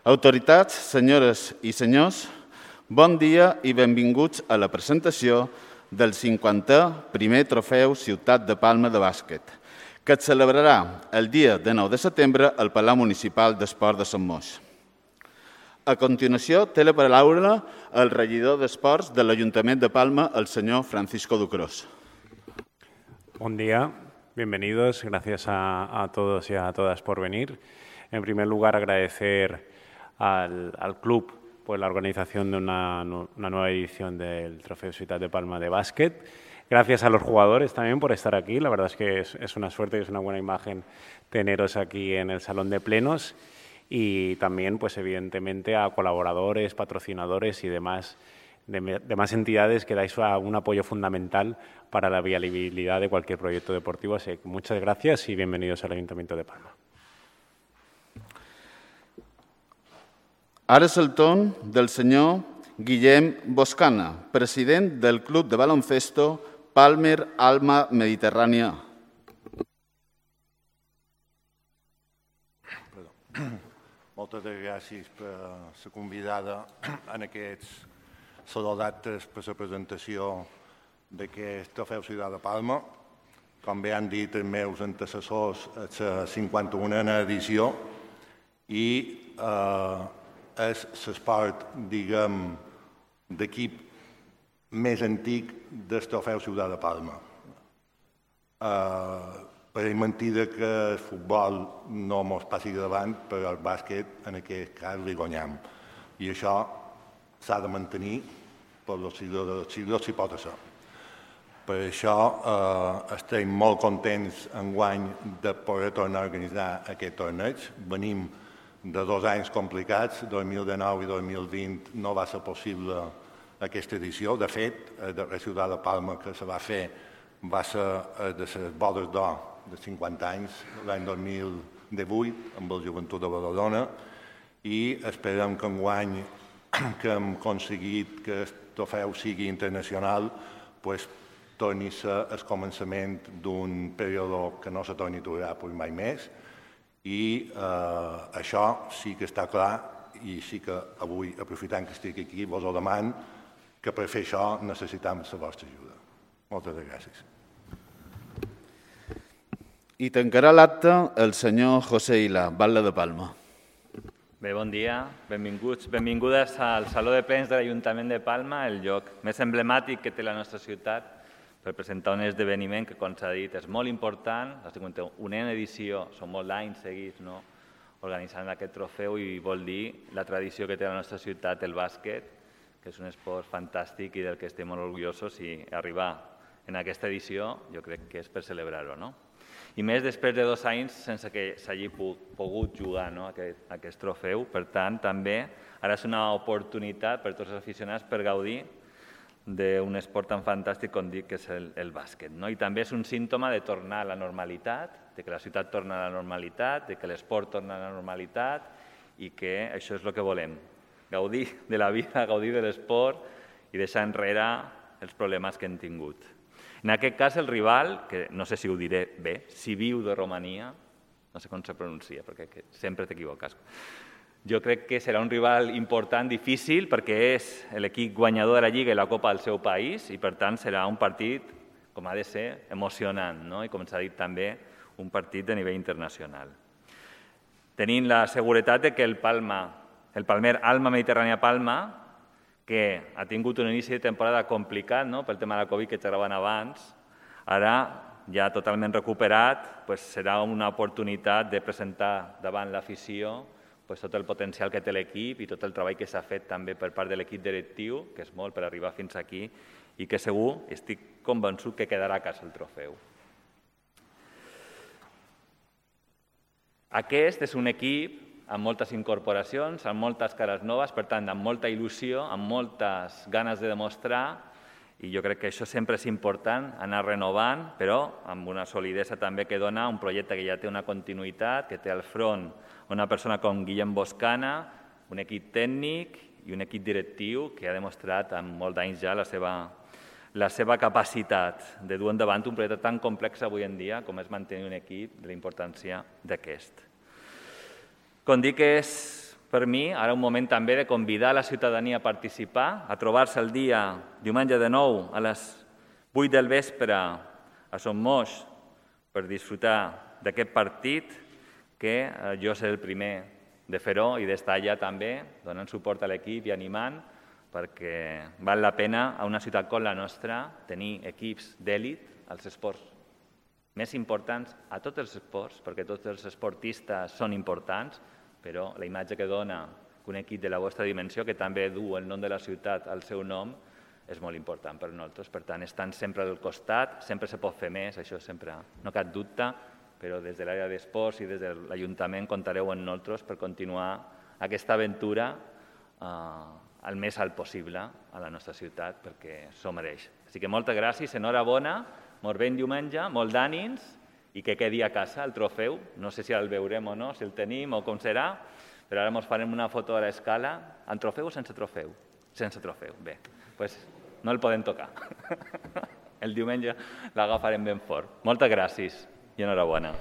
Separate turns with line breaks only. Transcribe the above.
Autoritats, senyores i senyors, bon dia i benvinguts a la presentació del 50è primer trofeu Ciutat de Palma de bàsquet, que es celebrarà el dia de 9 de setembre al Palau Municipal d'Esport de Sant Moix. A continuació, té la paraula el regidor d'Esports de l'Ajuntament de Palma, el senyor Francisco Ducros.
Buen día, bienvenidos, gracias a todos y a todas por venir. En primer lugar, agradecer al club por la organización de una nueva edición del Trofeo Ciutat de Palma de básquet. Gracias a los jugadores también por estar aquí. La verdad es que es una suerte y es una buena imagen teneros aquí en el Salón de Plenos. Y también, pues evidentemente, a colaboradores, patrocinadores y demás entidades que dais un apoyo fundamental para la viabilidad de cualquier proyecto deportivo. Así que muchas gracias y bienvenidos al Ayuntamiento de Palma.
Ara és el torn del senyor Guillem Boscana, president del Club de Baloncesto Palmer Alma Mediterrània.
Moltes gràcies per la convidada en aquests saló d'actes per la presentació d'aquest trofeu Ciutat de Palma. Com bé han dit els meus antecessors, és la 51a edició i és l'esport, diguem, d'equip més antic del trofeu Ciutat de Palma. Pareix mentida que el futbol no ens passi davant, però el bàsquet en aquest cas li guanyam. I això s'ha de mantenir per els siglos si pot ser. Per això estem molt contents enguany de poder tornar a organitzar aquest torneig. Venim de 2 anys complicats, 2019 i 2020 no va ser possible aquesta edició. De fet, la Ciutat de Palma que se va fer va ser de les bodes d'or de 50 anys, l'any 2018, amb el Joventut de Badalona, i esperem que enguany que hem aconseguit que el trofeu sigui internacional, torni a ser el començament d'un període que no se torni a aturar mai més, i això sí que està clar i sí que avui, aprofitant que estic aquí, vos ho demano, que per fer això necessitem la vostra ajuda. Moltes gràcies.
I tancarà l'acte el senyor José Ila, Batlle de Palma.
Bé, bon dia, benvinguts, benvingudes al Saló de Plens de l'Ajuntament de Palma, el lloc més emblemàtic que té la nostra ciutat per presentar un esdeveniment que, com s'ha dit, és molt important. La 51a edició, són molts anys seguits organitzant aquest trofeu i vol dir la tradició que té la nostra ciutat, el bàsquet, que és un esport fantàstic i del que estem molt orgullosos, i arribar en aquesta edició jo crec que és per celebrar-ho, no? I més després de 2 anys sense que s'hagi pogut jugar aquest trofeu. Per tant, també ara és una oportunitat per tots els aficionats per gaudir d'un esport tan fantàstic com dic que és el bàsquet. I també és un símptoma de tornar a la normalitat, de que la ciutat torna a la normalitat, de que l'esport torna a la normalitat i que això és el que volem, gaudir de la vida, gaudir de l'esport i deixar enrere els problemes que hem tingut. En aquest cas, el rival, que no sé si ho diré bé, Sibiu de Romania, no sé com se pronuncia, perquè sempre t'equivoques. Jo crec que serà un rival important, difícil, perquè és l'equip guanyador de la Lliga i la Copa del seu país i, per tant, serà un partit, com ha de ser, emocionant, i, com s'ha dit també, un partit de nivell internacional. Tenint la seguretat que el Palmer Alma Mediterrània Palma, que ha tingut un inici de temporada complicat pel tema de la Covid que xerraven abans, ara ja totalment recuperat, serà una oportunitat de presentar davant l'afició tot el potencial que té l'equip i tot el treball que s'ha fet també per part de l'equip directiu, que és molt per arribar fins aquí, i que segur, estic convençut que quedarà a casa el trofeu. Aquest és un equip amb moltes incorporacions, amb moltes cares noves, per tant, amb molta il·lusió, amb moltes ganes de demostrar, i jo crec que això sempre és important, anar renovant, però amb una solidesa també que dona un projecte que ja té una continuïtat, que té al front una persona com Guillem Boscana, un equip tècnic i un equip directiu que ha demostrat en molts anys ja la seva capacitat de dur endavant un projecte tan complex avui en dia com és mantenir un equip de la importància d'aquest. Com dic, és per mi ara un moment també de convidar la ciutadania a participar, a trobar-se el dia diumenge de 9 a les 8 del vespre a Son Moix per disfrutar d'aquest partit, que jo seré el primer de fer-ho i d'estar allà també donant suport a l'equip i animant, perquè val la pena a una ciutat com la nostra tenir equips d'èlit als esports més importants, a tots els esports, perquè tots els esportistes són importants, però la imatge que dona un equip de la vostra dimensió, que també du el nom de la ciutat al seu nom, és molt important per nosaltres. Per tant, estan sempre al costat, sempre se pot fer més, això sempre, no cap dubte, però des de l'àrea d'esports i des de l'Ajuntament comptareu amb nosaltres per continuar aquesta aventura el més alt possible a la nostra ciutat, perquè s'ho mereix. Així que moltes gràcies, enhorabona, molt ben diumenge, molt d'ànims i que quedi a casa el trofeu. No sé si el veurem o no, si el tenim o com serà, però ara ens farem una foto a l'escala. Amb trofeu o sense trofeu? Sense trofeu, bé. Doncs no el podem tocar. El diumenge l'agafarem ben fort. Moltes gràcies i enhorabona.